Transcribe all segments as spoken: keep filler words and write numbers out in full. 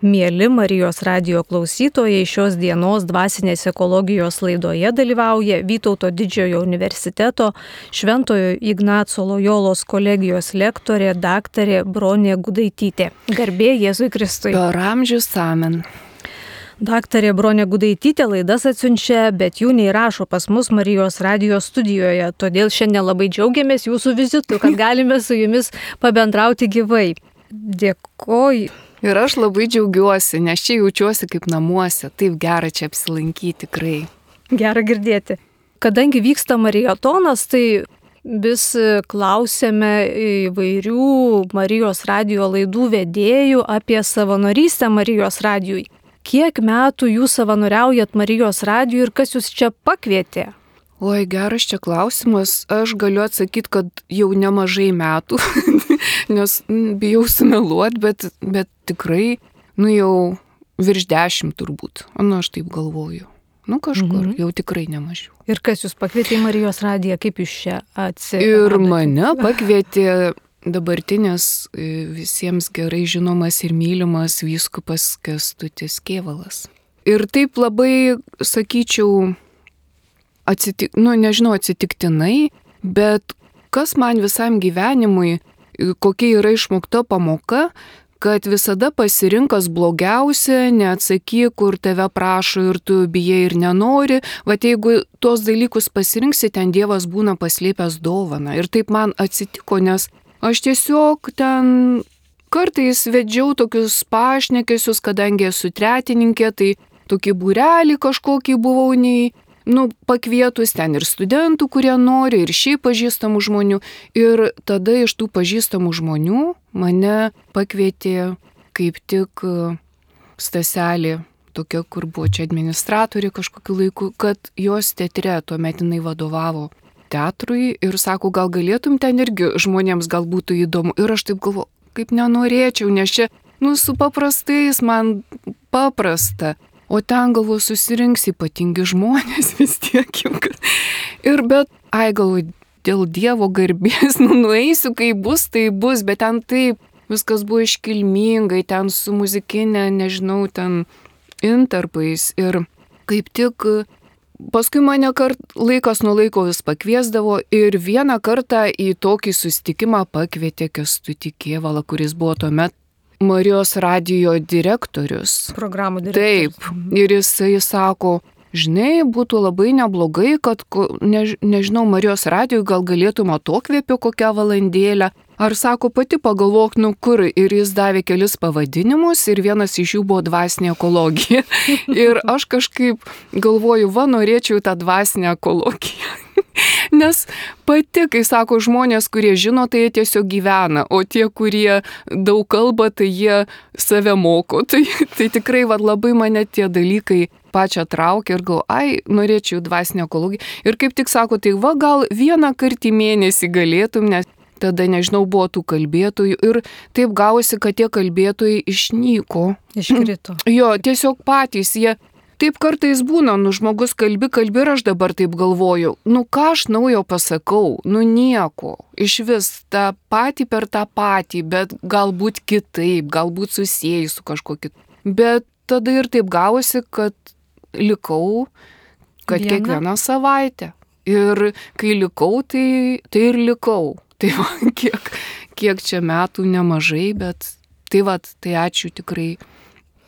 Mieli Marijos radijo klausytojai, šios dienos dvasinės ekologijos laidoje dalyvauja Vytauto Didžiojo universiteto Šventojo Ignaco Lojolos kolegijos lektorė daktarė Bronė Gudaitytė. Garbė Jėzui Kristui. Per amžius amen. Daktarė Bronė Gudaitytė laidas atsiunčia, bet jų neįrašo pas mus Marijos radijo studijoje. Todėl šiandien labai džiaugiamės jūsų vizitu, kad galime su jumis pabendrauti gyvai. Dėkoju. Ir aš labai džiaugiuosi, nes čia jaučiuosi kaip namuose. Taip gera čia apsilankyti tikrai. Gera girdėti. Kadangi vyksta maratonas, tai vis klausėme įvairių Marijos radijo laidų vedėjų apie savanorystę Marijos radijui. Kiek metų jūs savanoriaujat Marijos radijui ir kas jūs čia pakvietė? Oi, geras čia klausimas. Aš galiu atsakyti, kad jau nemažai metų, nes bijau sumeluoti, bet, bet tikrai, nu jau virš dešimt turbūt. Nu, aš taip galvoju. Nu, kažkur, mhm. jau tikrai nemažiau. Ir kas jūs pakvietė į Marijos radiją, kaip jūs čia atsiradote? Ir mane pakvietė dabartinis visiems gerai žinomas ir mylimas vyskupas Kęstutis Kėvalas. Ir taip labai, sakyčiau, atsitik, nu, nežinau, atsitiktinai, bet kas man visam gyvenimui, kokia yra išmokta pamoka, kad visada pasirinkas blogiausia, neatsakyk, kur tave prašo ir tu bijai ir nenori, vat jeigu tuos dalykus pasirinksi, ten Dievas būna paslėpęs dovaną. Ir taip man atsitiko, nes aš tiesiog ten kartais vedžiau tokius pašnekesius, kadangi esu tretininkė, tai tokį būrelį kažkokį buvau nei, nu, pakvietus ten ir studentų, kurie nori, ir šiaip pažįstamų žmonių. Ir tada iš tų pažįstamų žmonių mane pakvietė kaip tik Staselė, tokia, kur buvo čia administratorė kažkokiu laiku, kad jos teatre tuomet jinai vadovavo teatrui ir sako, gal galėtum ten irgi žmonėms gal būtų įdomu. Ir aš taip galvoju, kaip nenorėčiau, nes čia, nu, su paprastais man paprasta. O ten, galvoju, susirinks ypatingi žmonės vis tiek jau. Ir bet, ai, galvoju, dėl Dievo garbės, nu, nueisiu, kai bus, tai bus, bet ten taip, viskas buvo iškilmingai, ten su muzikinė, nežinau, ten intarpais. Ir kaip tik paskui mane kart, laikas nuo laiko vis pakviesdavo ir vieną kartą į tokį susitikimą pakvietė Kęstutį Kėvalą, kuris buvo tuomet Marijos radijo direktorius. Programų direktorius. Taip. Ir jisai sako, žinai, būtų labai neblogai, kad, ne, nežinau, Marijos radijoj gal galėtum atokvėpio kokią valandėlę. Ar sako, pati pagalvok, nu kur. Ir jis davė kelis pavadinimus ir vienas iš jų buvo dvasinė ekologija. Ir aš kažkaip galvoju, va, norėčiau tą dvasinę ekologiją. Nes pati, kai sako žmonės, kurie žino, tai jie tiesiog gyvena, o tie, kurie daug kalba, tai jie save moko. Tai, tai tikrai va, labai mane tie dalykai pačią traukia ir gal, ai, norėčiau dvasinę ekologiją. Ir kaip tik sako, tai va, gal vieną kartą į mėnesį galėtum, nes tada, nežinau, buvo tų kalbėtojų ir taip gavosi, kad tie kalbėtojai išnyko. Iškrito. Jo, tiesiog patys jie. Taip kartais būna, nu žmogus kalbi, kalbi ir aš dabar taip galvoju, nu ką aš naujo pasakau, nu nieko, iš vis tą patį per tą patį, bet galbūt kitaip, galbūt susijęs su kažkuo kitu. Bet tada ir taip gavosi, kad likau, kad Viena. kiekvieną savaitę. Ir kai likau, tai, tai ir likau. Tai va, kiek, kiek čia metų nemažai, bet tai va, tai ačiū tikrai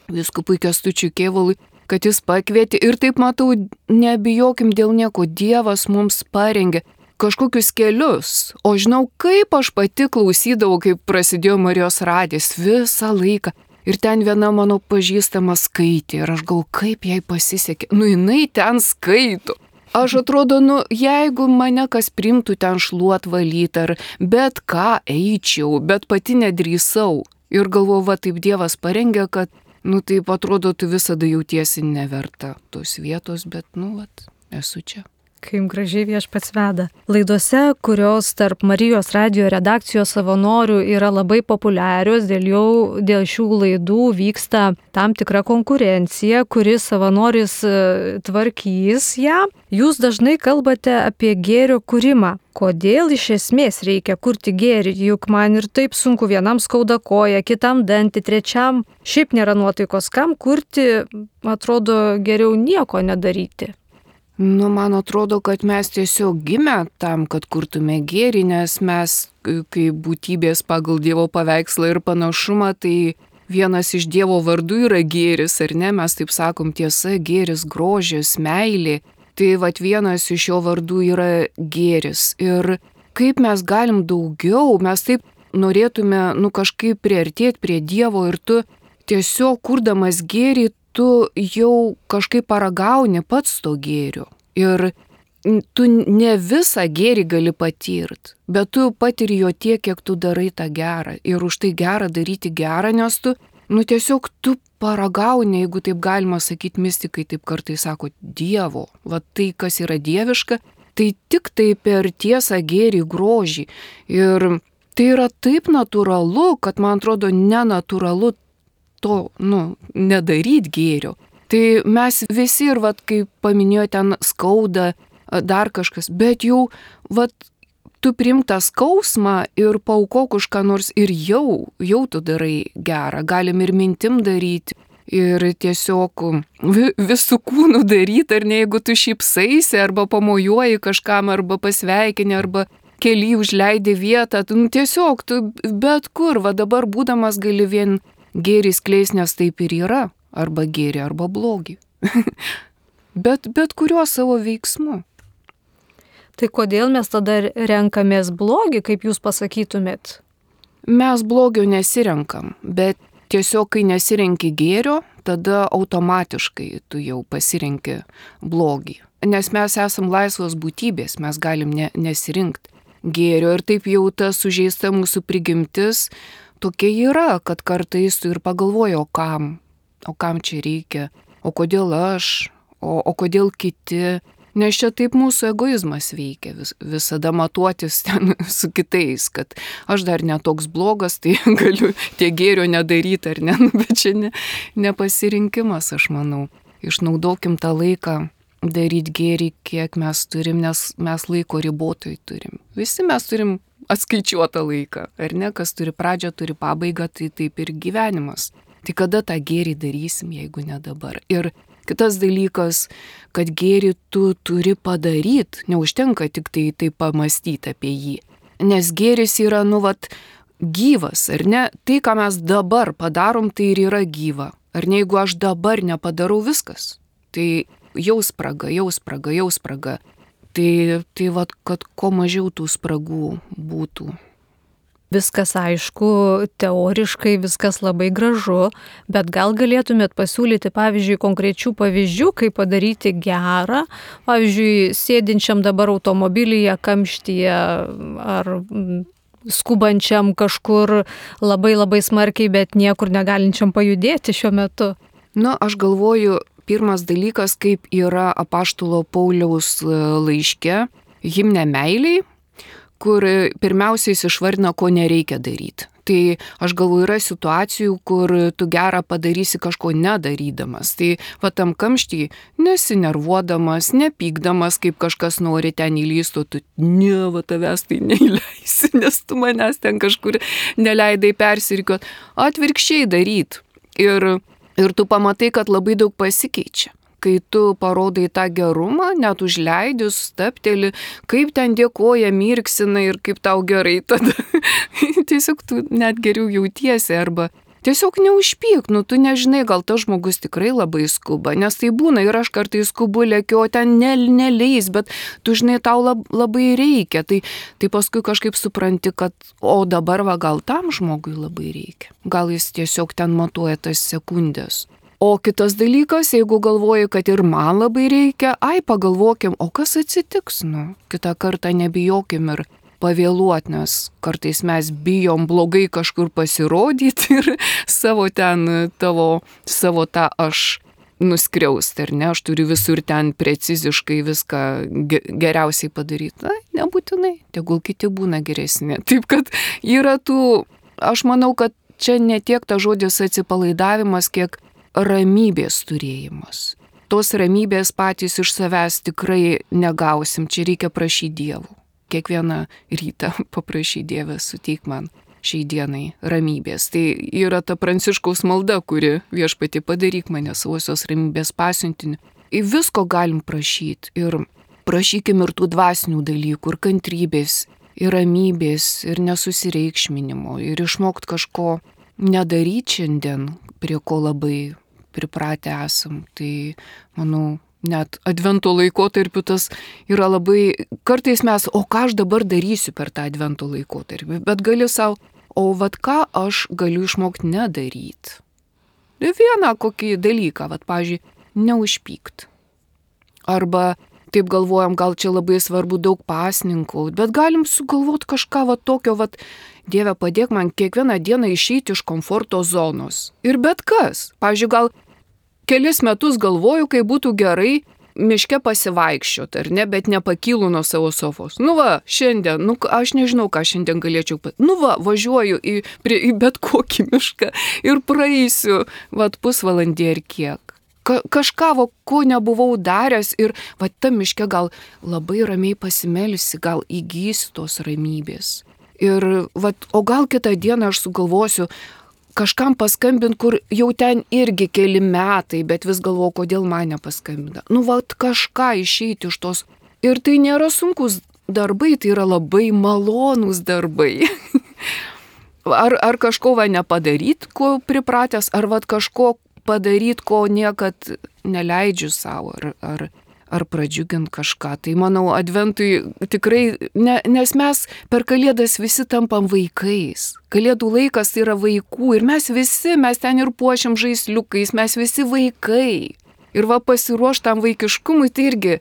vyskupui Kęstučiui Kėvalui, kad jis pakvietė ir taip matau, nebijokim dėl nieko, Dievas mums parengė kažkokius kelius. O žinau, kaip aš pati klausydavau, kaip prasidėjo Marijos radijas visą laiką. Ir ten viena mano pažįstama skaitė ir aš gal kaip jai pasisekė. Nu, jinai ten skaito. Aš atrodo, nu, jeigu mane kas primtų ten šluot valyt ar bet ką eičiau, bet pati nedrįsau. Ir galvoju, va taip Dievas parengė, kad nu taip atrodo, tu visada jautiesi neverta tos vietos, bet, nu, vat, esu čia. Kaip gražiai Viešpats veda. Laidose, kurios tarp Marijos radijo redakcijos savanorių yra labai populiarios, dėl, jau, dėl šių laidų vyksta tam tikra konkurencija, kuri savanoris tvarkys ją. Jūs dažnai kalbate apie gėrio kūrimą. Kodėl iš esmės reikia kurti gėrį? Juk man ir taip sunku, vienam skauda koją, kitam dantį, trečiam šiaip nėra nuotaikos. Kam kurti, atrodo, geriau nieko nedaryti. Nu, man atrodo, kad mes tiesiog gimę tam, kad kurtume gėrį, nes mes, kaip būtybės pagal Dievo paveikslą ir panašumą, tai vienas iš Dievo vardų yra gėris, ar ne? Mes taip sakom, tiesa, gėris, grožis, meilė. Tai vat vienas iš jo vardų yra gėris. Ir kaip mes galim daugiau, mes taip norėtume, nu, kažkaip priartėti prie Dievo ir tu tiesiog kurdamas gėrį, tu jau kažkaip paragauni pats to gėrio. Ir tu ne visą gėrį gali patirti, bet tu patiri jo tiek, kiek tu darai tą gerą. Ir už tai gerą daryti gerą, nes tu, nu tiesiog tu paragauni, jeigu taip galima sakyti, mistikai taip kartais sako, Dievo. Va tai, kas yra dieviška, tai tik tai per tiesą gėrį, grožį. Ir tai yra taip natūralu, kad man atrodo nenatūralu to, nu, nedaryt gėrio. Tai mes visi ir, vat, kaip paminėjo, ten skauda, dar kažkas, bet jau, vat, tu priimk tą skausmą ir paaukok už ką nors ir jau, jau tu darai gerą. Galim ir mintim daryti, ir tiesiog visų kūnų daryti, ar ne, jeigu tu šypsaisi, arba pamojuoji kažkam, arba pasveikini, arba keli užleidi vietą, tu, nu, tiesiog tu bet kur, va dabar būdamas gali vien gėrį skleis, nes taip ir yra, arba gėrį, arba blogį. bet, bet kuriuo savo veiksmu. Tai kodėl mes tada renkamės blogį, kaip jūs pasakytumėt? Mes blogio nesirenkam, bet tiesiog, kai nesirenki gėrio, tada automatiškai tu jau pasirenki blogį. Nes mes esam laisvos būtybės, mes galim ne, nesirinkti gėrio ir taip jau ta sužeista mūsų prigimtis tokia yra, kad kartais tu ir pagalvoji, o kam, o kam čia reikia, o kodėl aš, o, o kodėl kiti, nes čia taip mūsų egoizmas veikia, vis, visada matuotis ten su kitais, kad aš dar netoks blogas, tai galiu tie gėrio nedaryti ar ne, bet čia ne, nepasirinkimas, aš manau. Išnaudokim tą laiką daryti gėrį, kiek mes turim, nes mes laiko ribotai turim. Visi mes turim atskaičiuotą laiką, ar ne, kas turi pradžią, turi pabaigą, tai taip ir gyvenimas. Tai kada tą gėrį darysim, jeigu ne dabar? Ir kitas dalykas, kad gėrį tu turi padaryti, neužtenka tik tai, tai pamastyti apie jį. Nes gėris yra, nu, vat, gyvas, ar ne? Tai, ką mes dabar padarom, tai ir yra gyva. Ar ne, jeigu aš dabar nepadarau viskas, tai jau spraga, jau spraga, jau spraga. Tai, tai vat, kad kuo mažiau tų spragų būtų. Viskas aišku, teoriškai viskas labai gražu, bet gal galėtumėt pasiūlyti, pavyzdžiui, konkrečių pavyzdžių, kaip padaryti gerą, pavyzdžiui, sėdinčiam dabar automobilyje, kamštyje ar skubančiam kažkur labai labai smarkiai, bet niekur negalinčiam pajudėti šiuo metu. Na, aš galvoju, pirmas dalykas, kaip yra apaštulo Pauliaus laiške himne meiliai, kur pirmiausiai jis išvardina, ko nereikia daryti. Tai aš galvoju, yra situacijų, kur tu gerą padarysi kažko nedarydamas. Tai va tam kamštį nesinervuodamas, nepykdamas, kaip kažkas nori ten įlystų, tu ne, va tavęs tai neįleisi, nes tu manęs ten kažkur neleidai persirikiuot. Atvirkščiai daryt. Ir Ir tu pamatai, kad labai daug pasikeičia. Kai tu parodai tą gerumą, net užleidus, stapteli, kaip ten dėkoja, mirksina ir kaip tau gerai, tada tiesiog tu net geriau jautiesi arba tiesiog neužpyk, nu tu nežinai, gal tas žmogus tikrai labai skuba, nes tai būna ir aš kartais skubu lėkiu, o ten ne, neleis, bet tu žinai, tau lab, labai reikia, tai, tai paskui kažkaip supranti, kad o dabar va gal tam žmogui labai reikia, gal jis tiesiog ten matuoja tas sekundės. O kitas dalykas, jeigu galvoji, kad ir man labai reikia, ai pagalvokim, o kas atsitiks, nu, kitą kartą nebijokim ir pavėluot, nes kartais mes bijom blogai kažkur pasirodyti ir savo ten, tavo, savo tą aš nuskriausti, ar ne, aš turiu visur ten preciziškai viską geriausiai padaryti. Na, nebūtinai, tegul kiti būna geresni. Taip kad yra tų, aš manau, kad čia ne tiek ta žodis atsipalaidavimas, kiek ramybės turėjimas. Tos ramybės patys iš savęs tikrai negausim, čia reikia prašyti Dievų. Kiekvieną rytą paprašyti Dievę, suteik man šiai dienai ramybės. Tai yra ta Pranciškaus malda, kuri viešpatį padaryk mane savosios ramybės pasiuntiniu. Į visko galim prašyti ir prašykim ir tų dvasinių dalykų, ir kantrybės, ir ramybės, ir nesusireikšminimo, ir išmokt kažko nedaryti šiandien, prie ko labai pripratę esam. Tai, manau, net advento laikotarpiu tas yra labai, kartais mes, o ką aš dabar darysiu per tą advento laikotarpį, bet gali savo, o vat ką aš galiu išmokti nedaryti. Vieną kokį dalyką, vat, pavyzdžiui, neužpykt. Arba taip galvojam, gal čia labai svarbu daug pasninkaut, bet galim sugalvoti kažką vat tokio, vat, Dieve padėk man kiekvieną dieną išeiti iš komforto zonos. Ir bet kas. Pavyzdžiui, gal kelis metus galvoju, kai būtų gerai miške pasivaikščioti, ar ne, bet nepakylu nuo savo sofos. Nu va, šiandien, nu aš nežinau, ką šiandien galėčiau, nu va, važiuoju į, prie, į bet kokį mišką ir praeisiu, va, pusvalandį ar kiek. Ka, kažką, va, ko nebuvau daręs ir va, ta miške gal labai ramiai pasimelsi, gal įgysi tos ramybės. Ir, va, o gal kitą dieną aš sugalvosiu kažkam paskambint, kur jau ten irgi keli metai, bet vis galvoju, kodėl man nepaskambina. Nu, va, kažką išeiti iš tos. Ir tai nėra sunkus darbai, tai yra labai malonūs darbai. ar, ar kažko va nepadaryt, ko pripratęs, ar va kažko padaryt, ko niekad neleidžiu savo, ar, ar, ar pradžiugint kažką. Tai manau, adventui tikrai, ne, nes mes per Kalėdas visi tampam vaikais. Kalėdų laikas tai yra vaikų ir mes visi, mes ten ir puošiam žaisliukais, mes visi vaikai. Ir va pasiruoštam vaikiškumui, tai irgi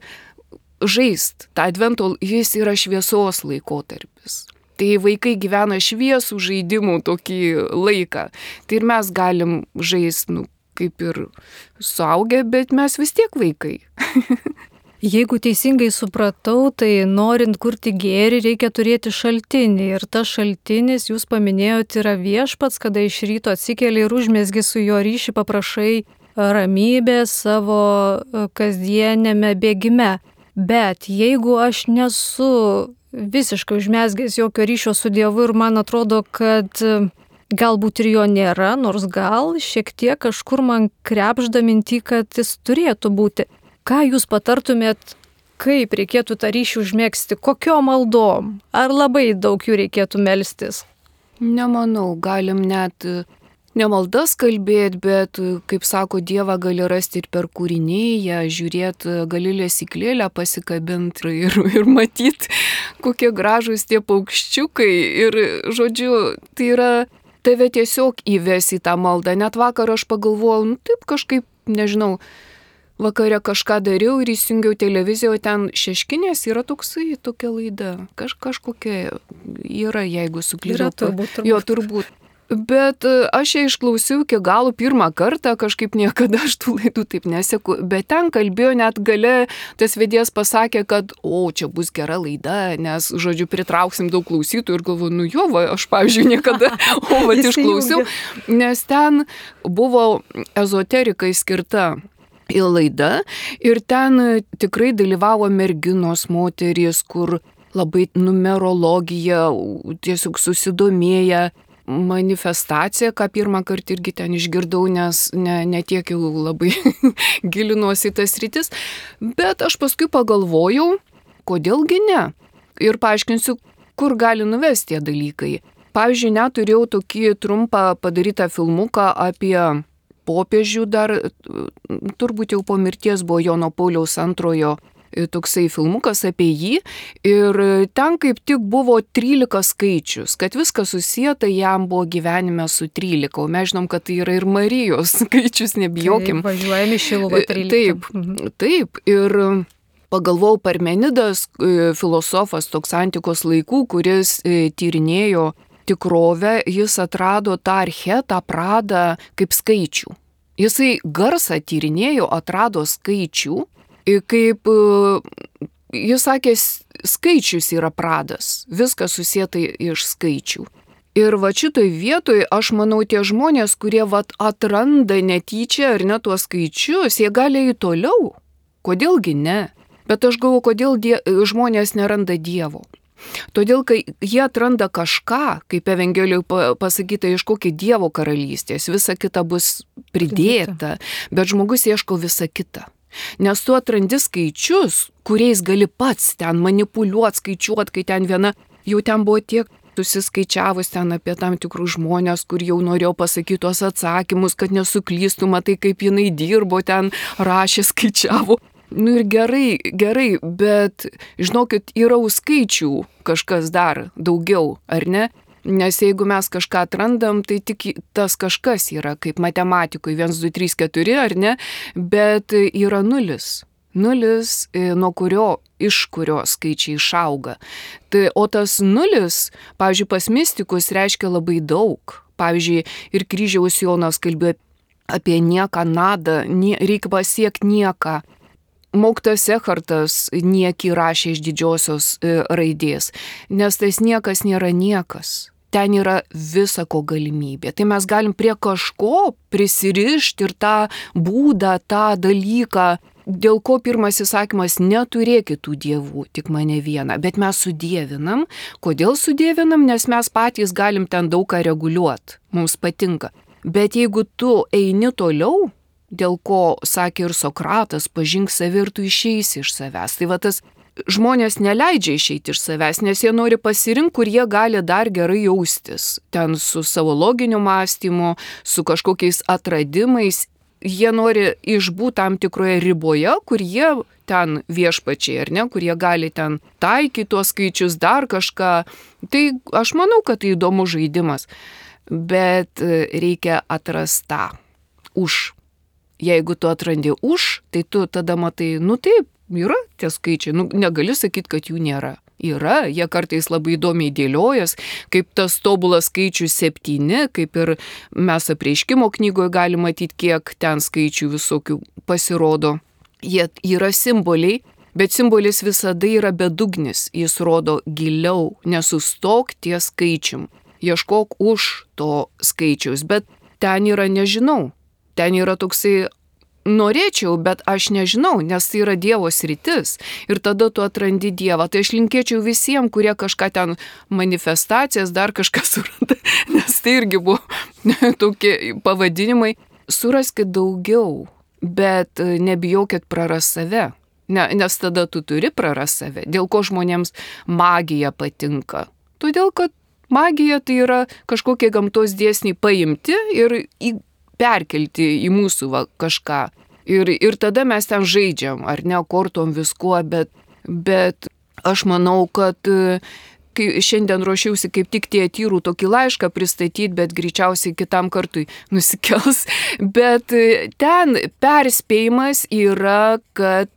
žaist. Ta advento, jis yra šviesos laikotarpis. Tai vaikai gyvena šviesų žaidimų tokį laiką. Tai ir mes galim žaist, nu, kaip ir suaugę, bet mes vis tiek vaikai. Jeigu teisingai supratau, tai norint kurti gėrį, reikia turėti šaltinį. Ir tas šaltinis, jūs paminėjote, yra viešpats, kada iš ryto atsikeli ir užmesgi su jo ryšį, paprašai ramybės savo kasdienėme bėgime. Bet jeigu aš nesu visiškai užmesgęs jokio ryšio su Dievu ir man atrodo, kad galbūt ir jo nėra, nors gal šiek tiek kažkur man krepšda mintį, kad jis turėtų būti. Ką jūs patartumėt, kaip reikėtų tą ryšį užmėgsti, kokio maldom? Ar labai daug jų reikėtų melstis? Nemanau, galim net ne maldas kalbėti, bet, kaip sako, Dievą gali rasti ir per kūrinėją, žiūrėti, gali lesyklėlę pasikabinti ir, ir matyti, kokie gražūs tie paukščiukai. Ir, žodžiu, tai yra tave tiesiog įves į tą maldą. Net vakar aš pagalvojau, nu taip kažkaip, nežinau, vakare kažką dariau ir įsijungiau televiziją, ten Šeškinės yra toksai, tokia laida. Kaž, kažkokia yra, jeigu suklydau. Yra turbūt, turbūt. Jo, turbūt. Bet aš ją išklausiau iki galo pirmą kartą, kažkaip niekada aš tų laidų taip neseku, bet ten kalbėjo net gale, tas vedėjas pasakė, kad o, čia bus gera laida, nes, žodžiu, pritrauksim daug klausytojų ir galvoju, nu jo, va, aš, pavyzdžiui, niekada, o, va, išklausiau, nes ten buvo ezoterikai skirta į laidą ir ten tikrai dalyvavo merginos, moterys, kur labai numerologija, tiesiog susidomėję, manifestacija, ką pirmą kartą irgi ten išgirdau, nes ne, ne tiek jau labai gilinuosi į tas rytis, bet aš paskui pagalvojau, kodėlgi ne. Ir paaiškinsiu, kur gali nuvesti tie dalykai. Pavyzdžiui, net turėjau tokį trumpą padarytą filmuką apie popiežių, dar turbūt jau po mirties buvo Jono Pauliaus antrojo toksai filmukas apie jį ir ten kaip tik buvo trylika skaičius, kad viskas susieta jam buvo gyvenime su trylika, o mes žinom, kad tai yra ir Marijos skaičius, nebijokim. Taip, važiuojame Šiluvą trylika. Taip, mhm. taip, ir pagalvojau, Parmenidas, filosofas toks antikos laikų, kuris tyrinėjo tikrovę, jis atrado tą archetą, pradą kaip skaičių. Jisai garsą tyrinėjo, atrado skaičių, kaip jis sakė, skaičius yra pradas, viskas susieta iš skaičių. Ir va šitoj vietoj, aš manau, tie žmonės, kurie va atranda netyčia ar ne tuos skaičius, jie gali eiti toliau. Kodėlgi ne? Bet aš galvoju, kodėl die, žmonės neranda Dievo. Todėl, kai jie atranda kažką, kaip Evangelijoje pasakyta, ieškokit Dievo karalystės, visa kita bus pridėta, bet žmogus ieško visą kitą. Nes tu atrandi skaičius, kuriais gali pats ten manipuliuoti, skaičiuoti, kai ten viena, jau ten buvo tiek susiskaičiavus ten apie tam tikrus žmonės, kur jau norėjo pasakyti tuos atsakymus, kad nesuklystų, matai, kaip jinai dirbo, ten rašė, skaičiavo. Nu ir gerai, gerai, bet žinokit, yra už skaičių kažkas dar daugiau, ar ne? Nes jeigu mes kažką atrandam, tai tik tas kažkas yra, kaip matematikoje, vienas, du, trys, keturi, ar ne? Bet yra nulis. Nulis, nuo kurio, iš kurio skaičiai išauga. Tai, o tas nulis, pavyzdžiui, pas mistikus reiškia labai daug. Pavyzdžiui, ir kryžiaus Jonas kalbėjo apie nieką, nadą, nie, reikia pasiekti nieką. Mokytojas Echartas niekį rašė iš didžiosios e, raidės, nes tas niekas nėra niekas. Ten yra visako galimybė. Tai mes galim prie kažko prisirišti ir tą būdą, tą dalyką, dėl ko pirmas įsakymas neturėkit tų dievų, tik mane vieną. Bet mes sudievinam. Kodėl sudievinam? Nes mes patys galim ten daug ką reguliuoti. Mums patinka. Bet jeigu tu eini toliau, dėl ko sakė ir Sokratas, pažink save ir tu išeisi iš savęs. Tai va tas žmonės neleidžia išeiti iš savęs, nes jie nori pasirinkti, kur jie gali dar gerai jaustis. Ten su savo loginiu mąstymu, su kažkokiais atradimais. Jie nori išbūti tam tikroje riboje, kur jie ten viešpačiai, ar ne, kur jie gali ten taikyti tuos skaičius, dar kažką. Tai aš manau, kad tai įdomus žaidimas. Bet reikia atrasti tą už. Jeigu tu atrandi už, tai tu tada matai, nu taip, yra tie skaičiai, nu negali sakyti, kad jų nėra. Yra, jie kartais labai įdomiai dėliojas, kaip tas tobulas skaičius septyni, kaip ir mes Apreiškimo knygoje galime matyti, kiek ten skaičių visokių pasirodo. Jie yra simboliai, bet simbolis visada yra bedugnis, jis rodo giliau, nesustok ties skaičium, ieškok už to skaičiaus, bet ten yra nežinau. Ten yra toksai, norėčiau, bet aš nežinau, nes tai yra Dievo sritis. Ir tada tu atrandi Dievą. Tai aš linkėčiau visiems, kurie kažką ten manifestacijas, dar kažką suranda, nes tai irgi buvo tokie pavadinimai. Suraskit daugiau, bet nebijokit praras save. Ne, nes tada tu turi praras save. Dėl ko žmonėms magija patinka? Todėl, kad magija tai yra kažkokie gamtos dėsniai paimti ir į perkelti į mūsų va, kažką. Ir, ir tada mes ten žaidžiam, ar ne, kortom viskuo, bet, bet aš manau, kad kai šiandien ruošiausi kaip tik Tiatyrų tokį laišką pristatyti, bet greičiausiai kitam kartui nusikels. Bet ten perspėjimas yra, kad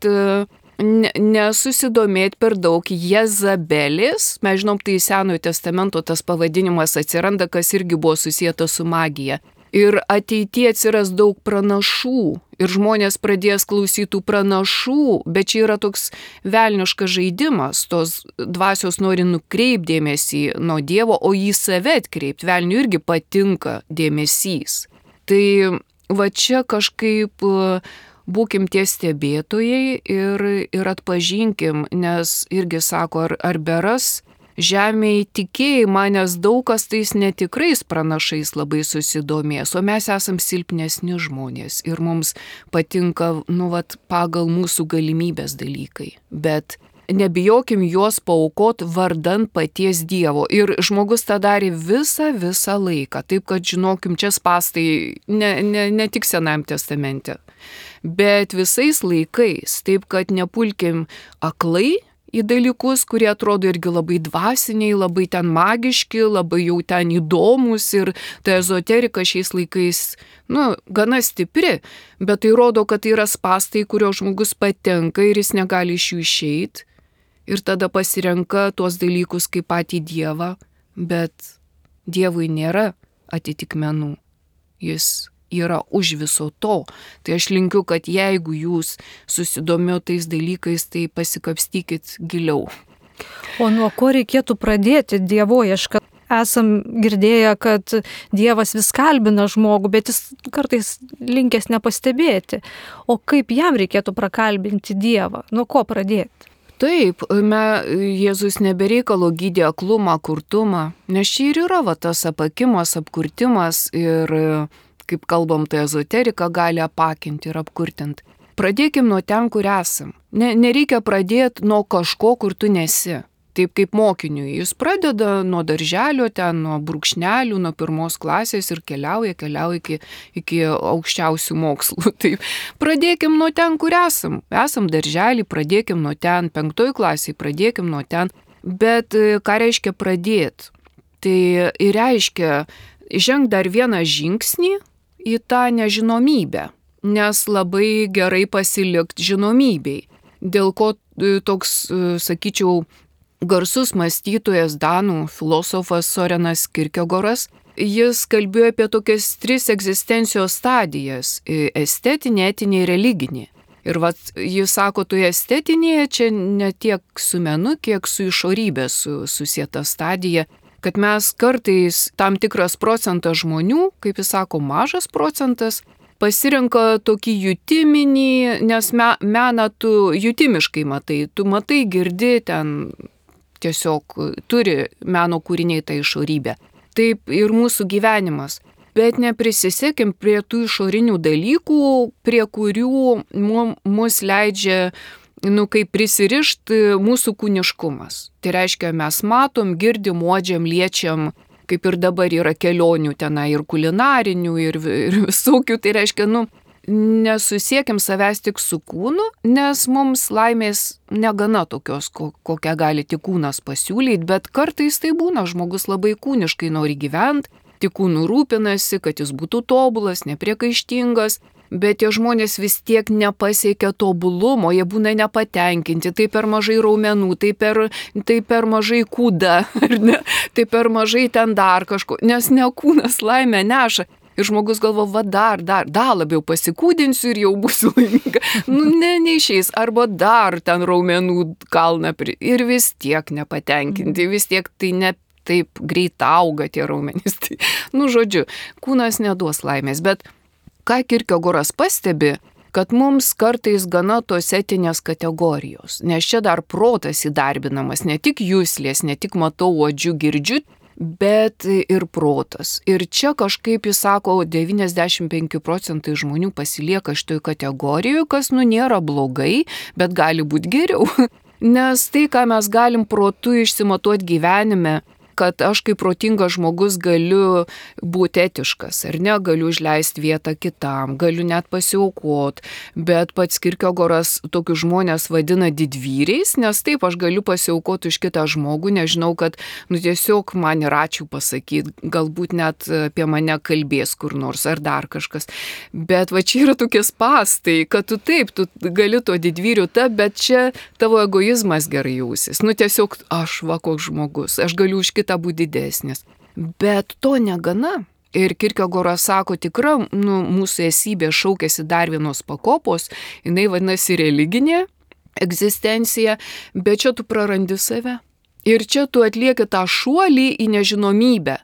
nesusidomėti per daug Jezabelės. Mes žinom, tai Senojo testamento tas pavadinimas atsiranda, kas irgi buvo susijęta su magija. Ir ateityje atsiras daug pranašų ir žmonės pradės klausytų pranašų, bet čia yra toks velniškas žaidimas, tos dvasios nori nukreipti dėmesį nuo Dievo, o į save atkreipti. Velniui irgi patinka dėmesys. Tai va čia kažkaip būkim tie stebėtojai ir, ir atpažinkim, nes irgi sako, ar, ar beras žemėje tikėjimą, nes daug kas tais netikrais pranašais labai susidomės, o mes esam silpnesni žmonės ir mums patinka, nu, vat, pagal mūsų galimybės dalykai. Bet nebijokim juos paaukot vardan paties Dievo. Ir žmogus tą darė visą, visą laiką. Taip, kad žinokim, čia spastai ne, ne, ne tik Senajam testamente, bet visais laikais. Taip, kad nepulkim aklai į dalykus, kurie atrodo irgi labai dvasiniai, labai ten magiški, labai jau ten įdomus ir ta ezoterika šiais laikais, nu, gana stipri, bet tai rodo, kad tai yra spastai, kurio žmogus patenka ir jis negali iš jų išeiti ir tada pasirenka tuos dalykus kaip patį Dievą, bet Dievui nėra atitikmenų. Jis yra už viso to. Tai aš linkiu, kad jeigu jūs susidomėjo tais dalykais, tai pasikapstykit giliau. O nuo ko reikėtų pradėti dievoiešką? Esam girdėję, kad Dievas vis kalbina žmogų, bet jis kartais linkęs nepastebėti. O kaip jam reikėtų prakalbinti Dievą? Nuo ko pradėti? Taip, me, Jėzus nebereikalo gydė aklumą, kurtumą, nes čia ir yra va, tas apakimas, apkurtimas ir, kaip kalbam, tai ezoterika gali apakinti ir apkurtinti. Pradėkim nuo ten, kur esam. Ne, nereikia pradėti nuo kažko, kur tu nesi. Taip kaip mokiniui. Jis pradeda nuo darželio, ten nuo brūkšnelių, nuo pirmos klasės ir keliauja, keliauja iki, iki aukščiausių mokslų. Taip, pradėkim nuo ten, kur esam. Esam darželį, pradėkim nuo ten, penktoj klasiai, pradėkim nuo ten. Bet ką reiškia pradėti? Tai ir reiškia žengti dar vieną žingsnį į tą nežinomybę, nes labai gerai pasilikti žinomybei. Dėl ko toks, sakyčiau, garsus mąstytojas danų filosofas Sorenas Kierkegoras, jis kalbėjo apie tokias tris egzistencijos stadijas – estetinė, etinė ir religinė. Ir vat, jis sako, toje estetinėje čia ne tiek su menu, kiek su išorybė su, susieta stadija, kad mes kartais tam tikras procentas žmonių, kaip jis sako, mažas procentas, pasirenka tokį jutiminį, nes me, meną tu jutimiškai matai, tu matai, girdi ten, tiesiog turi meno kūriniai tą išorybę. Taip ir mūsų gyvenimas. Bet neprisisekim prie tų išorinių dalykų, prie kurių mus leidžia, nu, kaip prisirišti mūsų kūniškumas. Tai reiškia, mes matom, girdim, uodžiam, liečiam, kaip ir dabar yra kelionių tenai ir kulinarinių, ir, ir visokių. Tai reiškia, nu, nesusiekim savęs tik su kūnu, nes mums laimės negana tokios, kokią gali tik kūnas pasiūlyti, bet kartais tai būna, žmogus labai kūniškai nori gyventi, tik kūnu rūpinasi, kad jis būtų tobulas, nepriekaištingas, bet tie žmonės vis tiek nepasiekia tobulumo, jie būna nepatenkinti, tai per mažai raumenų, tai per, tai per mažai kūda, ne, tai per mažai ten dar kažko, nes ne kūnas laimę neša. Ir žmogus galvo, va dar, dar, dar labiau pasikūdinsiu ir jau būsiu laiminga. Nu, ne, neišeis. Arba dar ten raumenų kalną pri... Ir vis tiek nepatenkinti, vis tiek tai ne taip greit auga tie raumenys. Tai, nu, žodžiu, kūnas neduos laimės. Bet ką Kierkegoras pastebi, kad mums kartais gana tos etinės kategorijos. Nes čia dar protas įdarbinamas, ne tik juslės, ne tik matau, uodžiu, girdžiu, bet ir protas. Ir čia kažkaip, jis sako, devyniasdešimt penki procentai žmonių pasilieka šitoj kategorijoje, kas, nu, nėra blogai, bet gali būti geriau. Nes tai, ką mes galim protu išsimatuoti gyvenime, kad aš kaip protingas žmogus galiu būti etiškas, ar ne, galiu užleisti vietą kitam, galiu net pasiaukoti, bet pats Kierkegoras tokius žmonės vadina didvyriais, nes taip aš galiu pasiaukoti už kitą žmogų, nežinau, kad, nu, tiesiog man ir ačiū pasakyti, galbūt net apie mane kalbės kur nors ar dar kažkas, bet va čia yra tokie spastai, kad tu taip, tu gali to didvyriu tapti, bet čia tavo egoizmas gerai jausis, nu tiesiog aš va koks žmogus, aš galiu už kitą būti didesnis. Bet to negana. Ir Kierkegoras sako, tikra, nu, mūsų esybė šaukėsi dar vienos pakopos, jinai vadinasi religinė egzistencija, bet čia tu prarandi save. Ir čia tu atlieki tą šuolį į nežinomybę.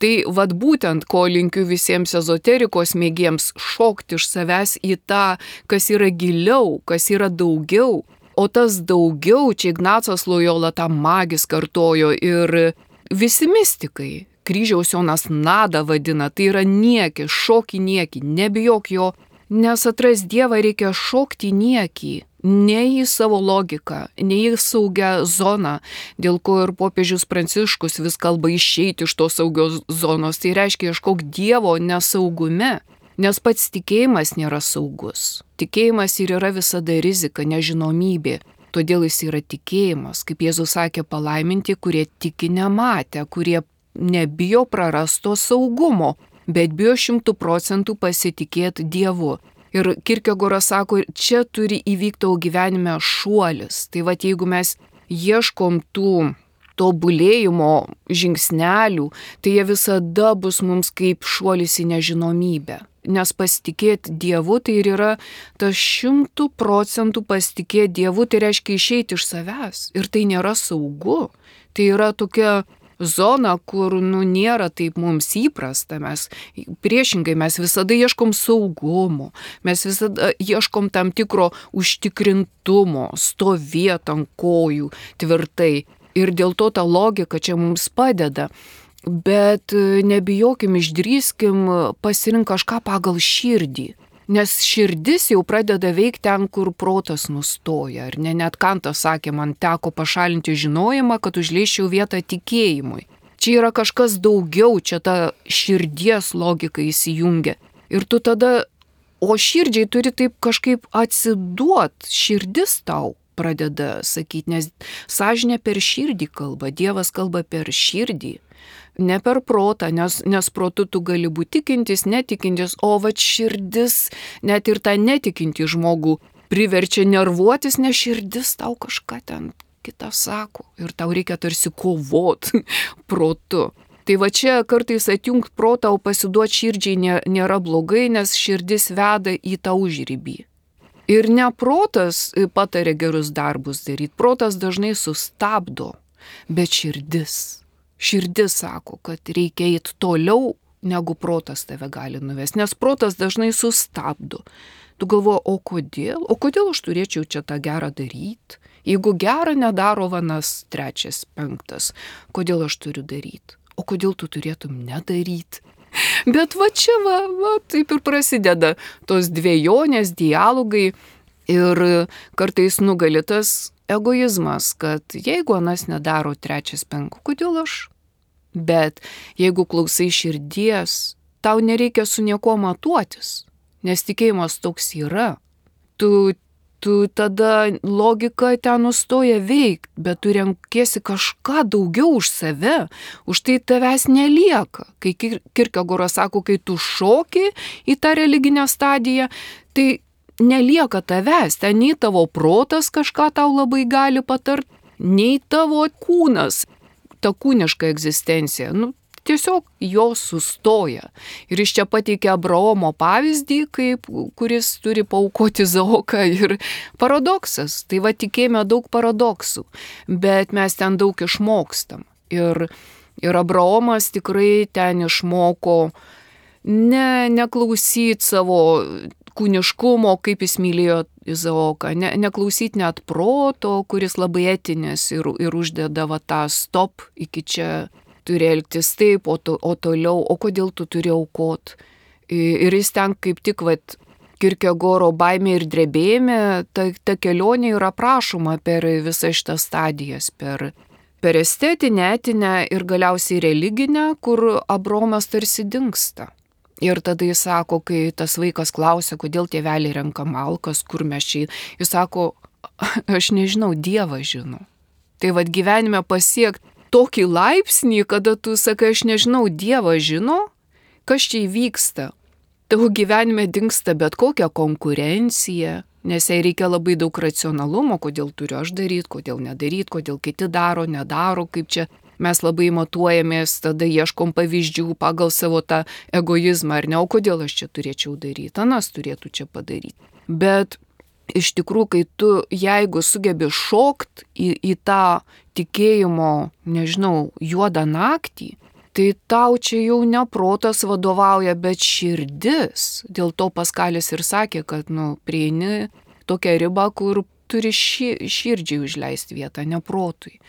Tai vad būtent, ko linkiu visiems ezoterikos mėgiems, šokti iš savęs į tą, kas yra giliau, kas yra daugiau. O tas daugiau, čia Ignacas Lojola tą magis kartojo ir visi mistikai. Kryžiaus Jonas Nada vadina, tai yra niekį, šokį niekį, nebijok jo, nes atras Dievą reikia šokti niekį, ne į savo logiką, ne į saugią zoną, dėl ko ir popiežius Pranciškus vis kalba išeiti iš tos saugios zonos, tai reiškia ieškok Dievo nesaugume, nes pats tikėjimas nėra saugus. Tikėjimas ir yra visada rizika, nežinomybė. Todėl jis yra tikėjimas, kaip Jėzus sakė, palaiminti, kurie tiki nematę, kurie nebijo prarasto saugumo, bet bijo šimtų procentų pasitikėti Dievu. Ir Kierkegoras sako, čia turi įvykti tavo gyvenime šuolis. Tai va, jeigu mes ieškom tų tobulėjimo žingsnelių, tai jie visada bus mums kaip šuolis į nežinomybę. Nes pasitikėti Dievu tai ir yra tas šimtų procentų pasitikėti Dievu, tai reiškia išeiti iš savęs. Ir tai nėra saugu. Tai yra tokia zona, kur nu, nėra taip mums įprasta. Mes priešingai, mes visada ieškom saugumo, mes visada ieškom tam tikro užtikrintumo, stovėti ant kojų tvirtai. Ir dėl to ta logika čia mums padeda. Bet nebijokim, išdrįskim pasirinkti kažką pagal širdį. Nes širdis jau pradeda veikti ten, kur protas nustoja. Ar ne, net Kantas sakė, man teko pašalinti žinojimą, kad užleisčiau vietą tikėjimui. Čia yra kažkas daugiau, čia ta širdies logika įsijungia. Ir tu tada, o širdžiai turi taip kažkaip atsiduot, širdis tau pradeda sakyti, nes sąžinė per širdį kalba, Dievas kalba per širdį. Ne per protą, nes, nes protu tu gali būti tikintis, netikintis, o va širdis, net ir tą netikinti žmogų priverčia nervuotis, nes širdis tau kažką ten kitą sako ir tau reikia tarsi kovot protu. Tai va čia kartais atjungt protą, o pasiduoti širdžiai nėra blogai, nes širdis veda į tą užribį. Ir ne protas patarė gerus darbus daryti, protas dažnai sustabdo, bet širdis. Širdis sako, kad reikia eiti toliau, negu protas tave gali nuvesti, nes protas dažnai sustabdo. Tu galvoji, o kodėl? O kodėl aš turėčiau čia tą gerą daryti? Jeigu gerą nedaro vanas trečias, penktas, kodėl aš turiu daryti? O kodėl tu turėtum nedaryti? Bet va čia va, va taip ir prasideda tos dvejonės, dialogai ir kartais nugali tas egoizmas, kad jeigu anas nedaro trečias, penktas, kodėl aš? Bet jeigu klausai širdies, tau nereikia su niekuo matuotis, nes tikėjimas toks yra. Tu, tu tada logika ten nustoja veikti, bet tu renkiesi kažką daugiau už save, už tai tavęs nelieka. Kai Kierkegoras sako, kai tu šoki į tą religinę stadiją, tai nelieka tavęs, ten nei tavo protas kažką tau labai gali patart, nei tavo kūnas. Ta kūniška egzistencija, nu, tiesiog jos sustoja. Ir iš čia pateikia Abraomo pavyzdį, kaip, kuris turi paaukoti Izaoką ir paradoksas. Tai va tikėjime daug paradoksų, bet mes ten daug išmokstam. Ir, ir Abraomas tikrai ten išmoko ne, neklausyti savo kūniškumo, kaip jis mylėjo Izaoką, ne, neklausyti net proto, kuris labai etinis ir, ir uždedavo tą stop, iki čia turi elgtis taip, o, to, o toliau, o kodėl tu turi aukot. Ir jis ten kaip tik, vat, Kierkegoro baimė ir drebėjime, ta, ta kelionė yra aprašoma per visas šitas stadijas, per, per estetinę, etinę ir galiausiai religinę, kur Abraomas tarsi dingsta. Ir tada jis sako, kai tas vaikas klausia, kodėl tėveliai renka malkas, kur mes čia, jis sako, aš nežinau, Dievas žino. Tai vad gyvenime pasiekti tokį laipsnį, kada tu sakai, aš nežinau, Dievas žino, kas čia įvyksta. Tavo gyvenime dingsta bet kokia konkurencija, nes jai reikia labai daug racionalumo, kodėl turiu aš daryti, kodėl nedaryti, kodėl kiti daro, nedaro, kaip čia. Mes labai matuojamės, tada ieškom pavyzdžių pagal savo tą egoizmą, ar ne, o kodėl aš čia turėčiau daryti, anas turėtų čia padaryti. Bet iš tikrųjų, kai tu, jeigu sugebi šokt į, į tą tikėjimo, nežinau, juodą naktį, tai tau čia jau ne protas vadovauja, bet širdis. Dėl to Paskalis ir sakė, kad, nu, prieini tokią ribą, kur turi ši, širdžiai užleisti vietą, ne protui.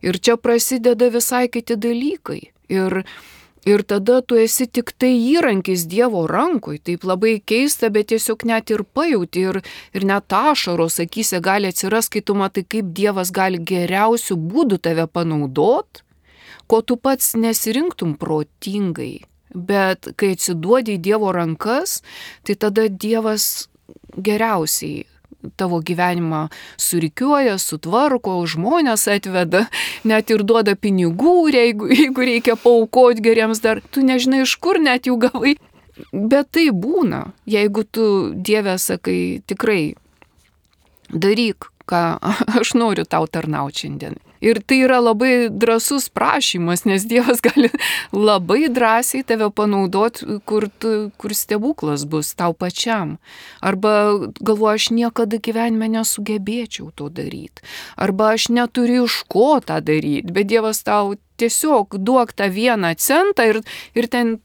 Ir čia prasideda visai kiti dalykai. Ir, ir tada tu esi tik tai įrankis Dievo rankoj. Taip labai keista, bet tiesiog net ir pajauti. Ir, ir net ašaros akyse gali atsiras, kai tu matai, kaip Dievas gali geriausių būdų tave panaudot, ko tu pats nesirinktum protingai. Bet kai atsiduodi į Dievo rankas, tai tada Dievas geriausiai tavo gyvenimą surikiuoja, sutvarko, žmonės atveda, net ir duoda pinigų, jeigu, jeigu reikia paaukoti geriems dar, tu nežinai iš kur net jų gavai. Bet tai būna, jeigu tu Dieve sakai, tikrai daryk, ką aš noriu tau tarnauti šiandien. Ir tai yra labai drąsus prašymas, nes Dievas gali labai drąsiai tave panaudoti, kur, tu, kur stebuklas bus tau pačiam. Arba galvoju, aš niekada gyvenime nesugebėčiau to daryti. Arba aš neturiu iš ko tą daryti, bet Dievas tau tiesiog duok tą vieną centą ir, ir ten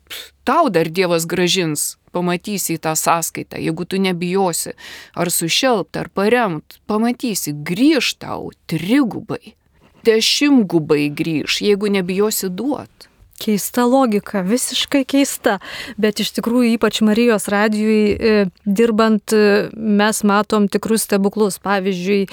tau dar Dievas gražins. Pamatysi tą sąskaitą, jeigu tu nebijosi ar sušelpt, ar paremt, pamatysi, grįž tau trigubai. Dešimtgubai grįž, jeigu nebijosi duot. Keista logika, visiškai keista, bet iš tikrųjų ypač Marijos radijui dirbant mes matom tikrus stebuklus. Pavyzdžiui,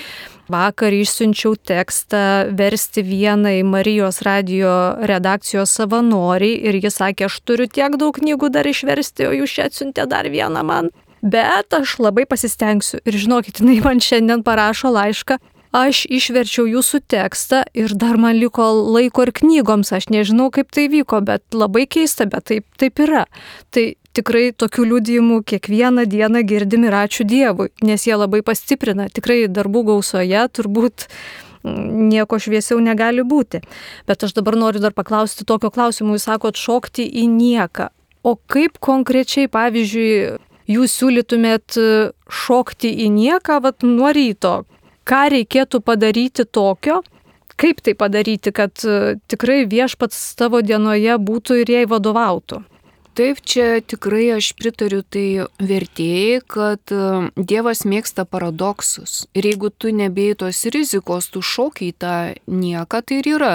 vakar išsiunčiau tekstą versti vienai Marijos radijo redakcijos savanoriai ir jis sakė, aš turiu tiek daug knygų dar išversti, o jūs čia atsiuntė dar vieną man. Bet aš labai pasistengsiu ir žinokit, jinai man šiandien parašo laišką. Aš išverčiau jūsų tekstą ir dar man liko laiko ir knygoms, aš nežinau, kaip tai vyko, bet labai keista, bet taip, taip yra. Tai tikrai tokių liudijimų kiekvieną dieną girdim ir ačiū Dievui, nes jie labai pastiprina, tikrai darbų gausoje turbūt nieko šviesiau negali būti. Bet aš dabar noriu dar paklausti tokio klausimo, jūs sakot šokti į nieką. O kaip konkrečiai, pavyzdžiui, jūs siūlytumėt šokti į nieką vat, nuo ryto? Ką reikėtų padaryti tokio, kaip tai padaryti, kad tikrai Viešpats tavo dienoje būtų ir jai vadovautų? Taip, čia tikrai aš pritariu tai vertėjai, kad Dievas mėgsta paradoksus. Ir jeigu tu nebėjai tos rizikos, tu šokiai tą nieką, tai ir yra.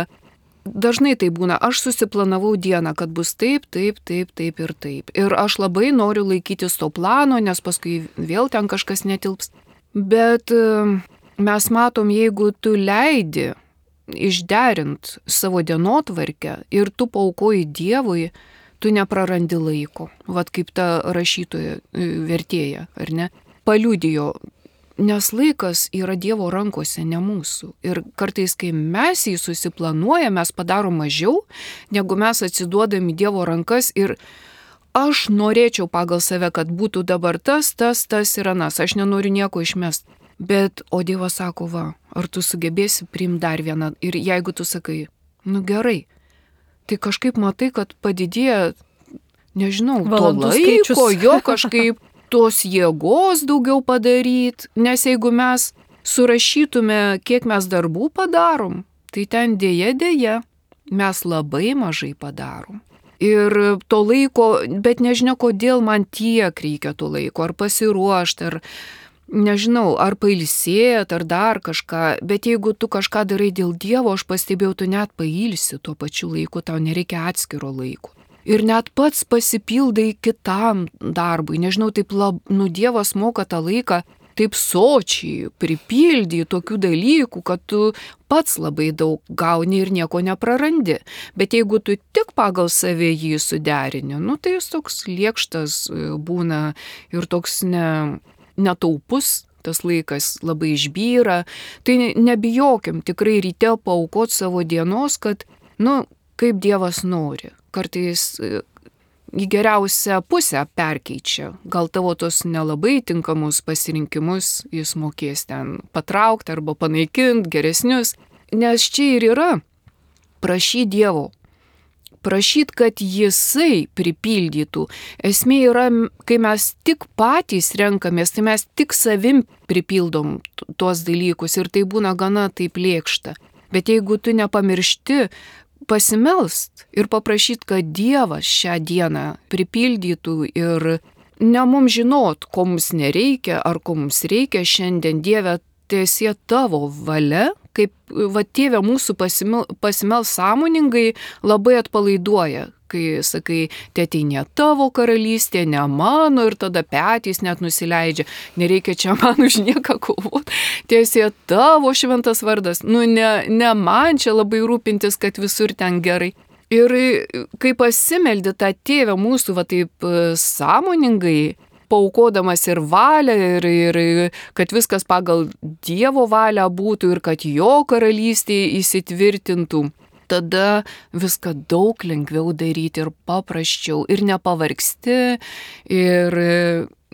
Dažnai tai būna, aš susiplanavau dieną, kad bus taip, taip, taip, taip ir taip. Ir aš labai noriu laikytis to plano, nes paskui vėl ten kažkas netilps. Bet mes matom, jeigu tu leidi išderint savo dienotvarkę ir tu paaukoji Dievui, tu neprarandi laiko. Vat kaip ta rašytoja vertėja, ar ne? Paliudijo, nes laikas yra Dievo rankose, ne mūsų. Ir kartais, kai mes jį susiplanuojame, mes padarom mažiau, negu mes atsiduodami Dievo rankas ir aš norėčiau pagal save, kad būtų dabar tas, tas, tas ir anas. Aš nenoriu nieko išmest. Bet, o Dievas sako, va, ar tu sugebėsi priimti dar vieną? Ir jeigu tu sakai, nu gerai, tai kažkaip matai, kad padidėja, nežinau, valandų to laiko, skaičius. jo kažkaip tos jėgos daugiau padaryti. Nes jeigu mes surašytume, kiek mes darbų padarom, tai ten dėja, dėja, mes labai mažai padarom. Ir to laiko, bet nežinia, kodėl man tiek reikia to laiko, ar pasiruošti, ar nežinau, ar pailsėt, ar dar kažką, bet jeigu tu kažką darai dėl Dievo, aš pastebėjau, tu net pailsi tuo pačiu laiku, tau nereikia atskiro laiko. Ir net pats pasipildai kitam darbui, nežinau, taip lab, nu Dievas moka tą laiką taip sočiai pripildyti tokių dalykų, kad tu pats labai daug gauni ir nieko neprarandi. Bet jeigu tu tik pagal save jį suderini, nu tai jis toks liekštas būna ir toks ne... netaupus, tas laikas labai išbyra, tai nebijokim tikrai ryte paaukoti savo dienos, kad, nu, kaip Dievas nori. Kartais į geriausią pusę perkeičia. Gal tavo tos nelabai tinkamus pasirinkimus jis mokės ten patraukti arba panaikinti geresnius. Nes čia ir yra prašy Dievo. Prašyt, kad jisai pripildytų. Esmė yra, kai mes tik patys renkamės, tai mes tik savim pripildom tuos dalykus ir tai būna gana taip lėkšta. Bet jeigu tu nepamiršti pasimelst ir paprašyt, kad Dievas šią dieną pripildytų ir ne mums žinot, ko mums nereikia ar ko mums reikia šiandien, Dieve, tiesie tavo valia, kaip va tėve mūsų pasimel, pasimel sąmoningai labai atpalaiduoja, kai sakai, tėteinė tavo karalystė, ne mano ir tada petys net nusileidžia, nereikia čia man už nieką kovoti, tiesie tavo šventas vardas, nu ne, ne man čia labai rūpintis, kad visur ten gerai. Ir kai pasimeldi tą tėvę mūsų va taip sąmoningai, paukodamas ir valią, ir, ir kad viskas pagal Dievo valią būtų ir kad jo karalystė įsitvirtintų, tada viską daug lengviau daryti ir paprasčiau ir nepavargsti ir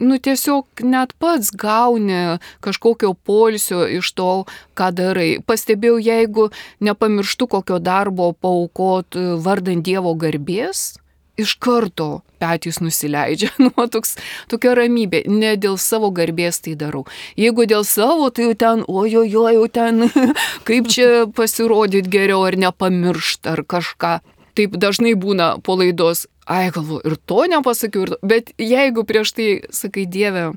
nu tiesiog net pats gauni kažkokio poilsio iš to, ką darai. Pastebėjau, jeigu nepamirštu kokio darbo paaukot vardant Dievo garbės, iš karto petys nusileidžia, nu, toks, tokia ramybė, ne dėl savo garbės tai darau. Jeigu dėl savo, tai jau ten, ojojo, jau ten, kaip čia pasirodyti geriau, ar nepamiršt, ar kažką. Taip dažnai būna po laidos, ai galvo, ir to nepasakiau, ir to. Bet jeigu prieš tai sakai, Dieve,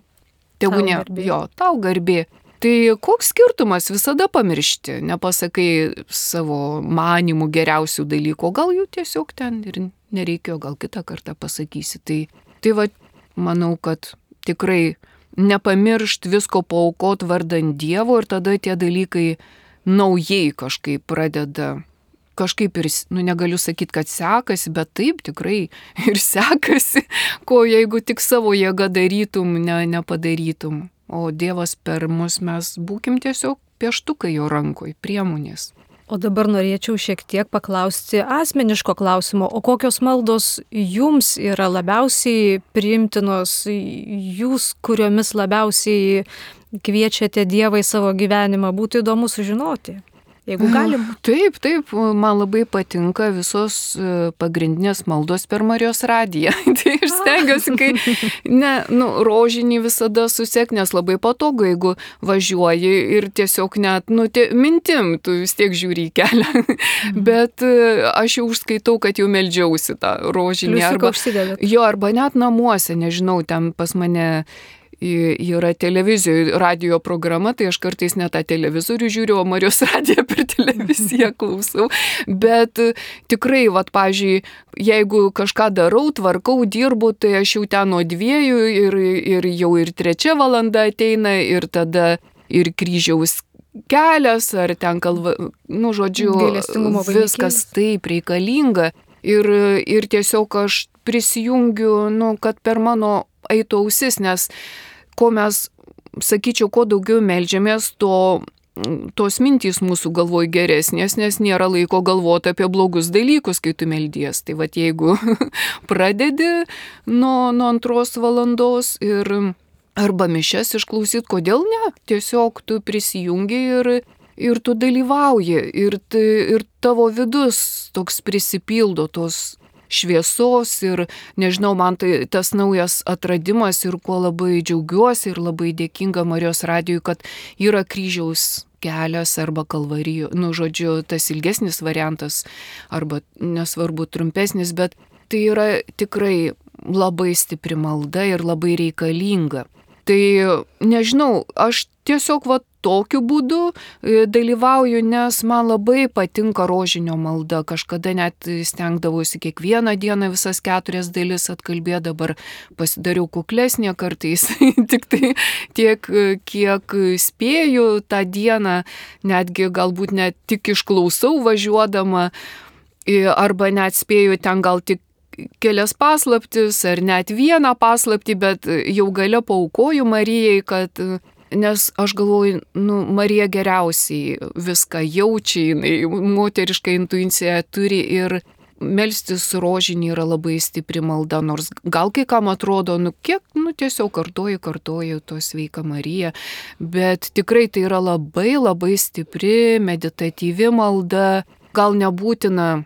tebūnie, jo, tau garbė, tai koks skirtumas visada pamiršti, nepasakai savo manimų geriausių dalykų, gal jų tiesiog ten ir nereikėjo, gal kitą kartą pasakysi. Tai, tai va, manau, kad tikrai nepamiršt visko paaukot vardant Dievo ir tada tie dalykai naujai kažkaip pradeda, kažkaip ir, nu negaliu sakyti, kad sekasi, bet taip tikrai ir sekasi, ko jeigu tik savo jėga darytum, ne, nepadarytum. O Dievas per mus, mes būkim tiesiog pieštukai jo rankoj, priemonės. O dabar norėčiau šiek tiek paklausti asmeniško klausimo, o kokios maldos jums yra labiausiai priimtinos, jūs, kuriomis labiausiai kviečiate Dievą į savo gyvenimą, būtų įdomu sužinoti, jeigu galim. Taip, taip, man labai patinka visos pagrindinės maldos per Marijos radiją. Tai aš stengiuosi, kai ne, nu, rožinį visada susek, nes labai patogu, jeigu važiuoji ir tiesiog net, nu, tie, mintim, tu vis tiek žiūri į kelią. Mhm. Bet aš jau užskaitau, kad jau meldžiausi tą rožinį. Arba, jo, arba net namuose, nežinau, ten pas mane yra televizijoje radio programa, tai aš kartais net tą televizorių žiūriu, o Marijos radiją per televiziją klausau. Bet tikrai, vat, pavyzdžiui, jeigu kažką darau, tvarkau, dirbu, tai aš jau ten nuo dviejų ir, ir jau ir trečia valanda ateina ir tada ir kryžiaus kelias, ar ten kalva, nu, žodžiu, viskas taip reikalinga. Ir, ir tiesiog aš prisijungiu, nu, kad per mano eitų ausis, nes ko mes, sakyčiau, kuo daugiau meldžiamės, to, tos mintys mūsų galvoj geresnės, nes nėra laiko galvoti apie blogus dalykus, kai tu meldies. Tai vat jeigu pradedi nuo, nuo antros valandos ir arba mišias išklausyt, kodėl ne? Tiesiog tu prisijungi ir, ir tu dalyvauji ir, ir tavo vidus toks prisipildo tos šviesos ir, nežinau, man tai tas naujas atradimas ir kuo labai džiaugiuosi ir labai dėkinga Marijos radijui, kad yra kryžiaus kelias arba kalvarijų, nu, žodžiu, tas ilgesnis variantas arba nesvarbu trumpesnis, bet tai yra tikrai labai stipri malda ir labai reikalinga. Tai, nežinau, aš tiesiog va tokiu būdu dalyvauju, nes man labai patinka rožinio malda. Kažkada net stengdavausi kiekvieną dieną visas keturias dalis atkalbėti, dabar pasidariau kuklesnė kartais. Tik tai tiek, kiek spėju tą dieną, netgi galbūt net tik išklausau važiuodama, arba net spėju ten gal tik kelias paslaptis, ar net vieną paslaptį, bet jau gale paaukoju Marijai, kad nes aš galvoju, nu, Marija geriausiai viską jaučia, jinai moterišką intuiciją turi ir melstis rožinį yra labai stipri malda, nors gal kai kam atrodo, nu kiek, nu tiesiog kartoju, kartoju to sveika Marija, bet tikrai tai yra labai labai stipri meditatyvi malda, gal nebūtina,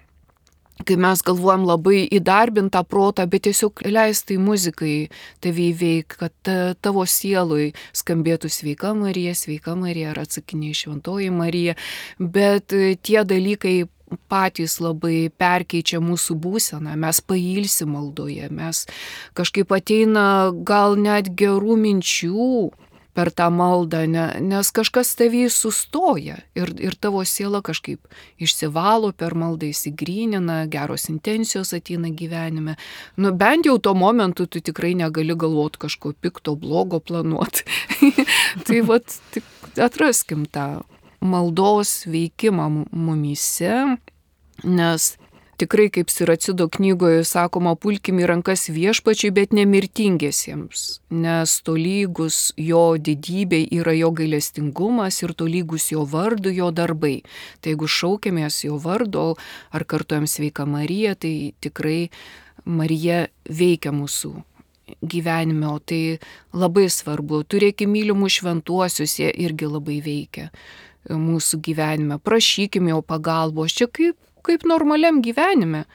kai mes galvojam labai įdarbintą protą, bet tiesiog leistai muzikai tave įveik, kad tavo sielui skambėtų sveika Marija, sveika Marija, ar atsakiniai šventoji Marija, bet tie dalykai patys labai perkeičia mūsų būseną, mes pailsim maldoje, mes kažkaip ateina gal net gerų minčių per tą maldą, ne, nes kažkas tavį sustoja ir, ir tavo siela kažkaip išsivalo per maldą, įsigrynina, geros intencijos ateina gyvenime. Nu, bent jau tuo momentu tu tikrai negali galvoti kažko pikto, blogo planuoti. Tai vat, atraskim tą maldos veikimą mumyse, nes tikrai, kaip Siracido knygoje sakoma, pulkim į rankas viešpačiui, bet nemirtingiesiems, nes tolygus jo didybei yra jo gailestingumas ir tolygus jo vardu jo darbai. Tai jeigu šaukėmės jo vardo ar kartuojam sveika Marija, tai tikrai Marija veikia mūsų gyvenime, o tai labai svarbu. Turėkime mylimų šventuosius, jie irgi labai veikia mūsų gyvenime. Prašykime jo pagalbos, čia kaip, kaip normaliam gyvenime.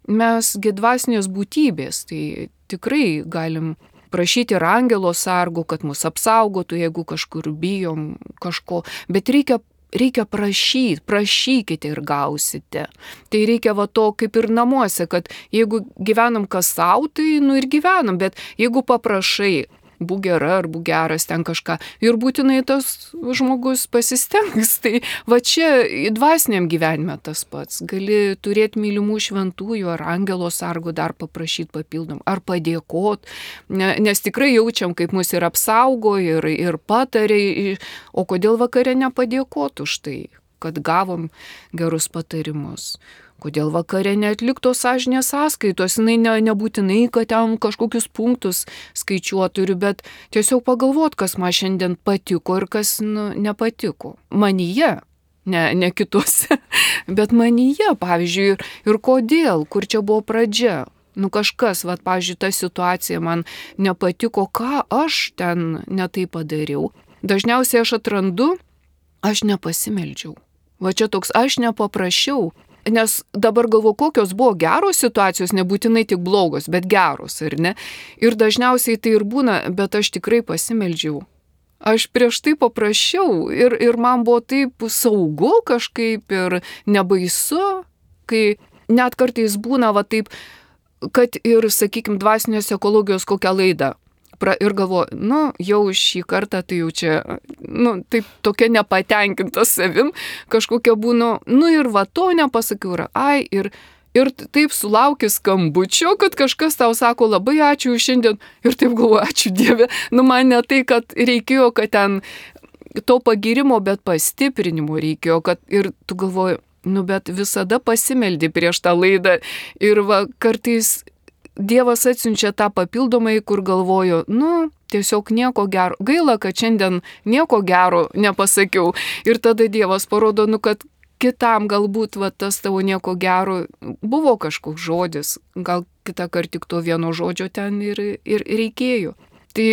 Mes gi dvasinės būtybės, tai tikrai galim prašyti ir angelo sargo, kad mus apsaugotų, jeigu kažkur bijom kažko, bet reikia Reikia prašyti, prašykite ir gausite. Tai reikia va to kaip ir namuose, kad jeigu gyvenam kas sau, tai nu ir gyvenam, bet jeigu paprašai, būk gera ar būk geras ten kažką, ir būtinai tas žmogus pasistengs. Tai va čia dvasiniam gyvenime tas pats. Gali turėti mylimų šventųjų ar angelo sargo dar paprašyti papildom, ar padėkot, ne, nes tikrai jaučiam, kaip mus ir apsaugo, ir, ir patarė, o kodėl vakare nepadėkot už tai, kad gavom gerus patarimus. Kodėl vakare neatliktos sąžinės sąskaitos, jinai ne, nebūtinai, kad ten kažkokius punktus skaičiuotų, bet tiesiog pagalvot, kas man šiandien patiko ir kas nu, nepatiko. Manyje, ne, ne kituose, bet manyje, pavyzdžiui, ir, ir kodėl, kur čia buvo pradžia. Nu kažkas, va, pavyzdžiui, ta situacija man nepatiko, ką aš ten netai padariau. Dažniausiai aš atrandu, aš nepasimeldžiau. Va čia toks, aš nepaprašiau. Nes dabar galvoju, kokios buvo geros situacijos, nebūtinai tik blogos, bet geros, ar ne? Ir dažniausiai tai ir būna, bet aš tikrai pasimeldžiau. Aš prieš tai paprašiau ir, ir man buvo taip saugu kažkaip ir nebaisu, kai net kartais būna va taip, kad ir, sakykime, dvasinės ekologijos kokią laidą. Pra, ir galvoju, nu, jau šį kartą tai jau čia, nu, taip tokia nepatenkinta savim, kažkokia būnu, nu ir va to nepasakiau, ir ai, ir, ir taip sulauki skambučio, kad kažkas tau sako, labai ačiū šiandien, ir taip galvoju, ačiū Dieve, nu man ne tai, kad reikėjo, kad ten to pagirimo, bet pastiprinimo reikėjo, kad ir tu galvoji, nu, bet visada pasimeldi prieš tą laidą, ir va kartais Dievas atsiunčia tą papildomai, kur galvoju, nu, tiesiog nieko gero. Gaila, kad šiandien nieko gero nepasakiau. Ir tada Dievas parodo, nu, kad kitam galbūt va, tas tavo nieko gero buvo kažkoks žodis. Gal kitą kartą tik to vieno žodžio ten ir, ir reikėjo. Tai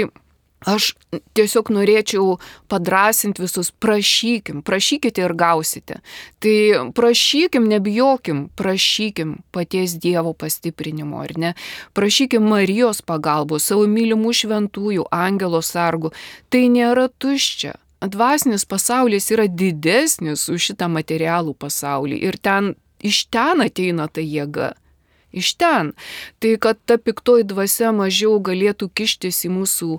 aš tiesiog norėčiau padrasinti visus, prašykim, prašykite ir gausite. Tai prašykim, nebijokim, prašykim paties Dievo pastiprinimo, ar ne? Prašykim Marijos pagalbos, savo mylimų šventųjų, angelo sargų. Tai nėra tuščia. Dvasinis pasaulis yra didesnis už šitą materialų pasaulį ir ten, iš ten ateina ta jėga. Iš ten. Tai kad ta piktoji dvasia mažiau galėtų kištis į mūsų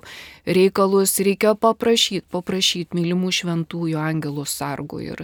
reikalus, reikia paprašyti, paprašyti mylimų šventųjų angelo sargų. Ir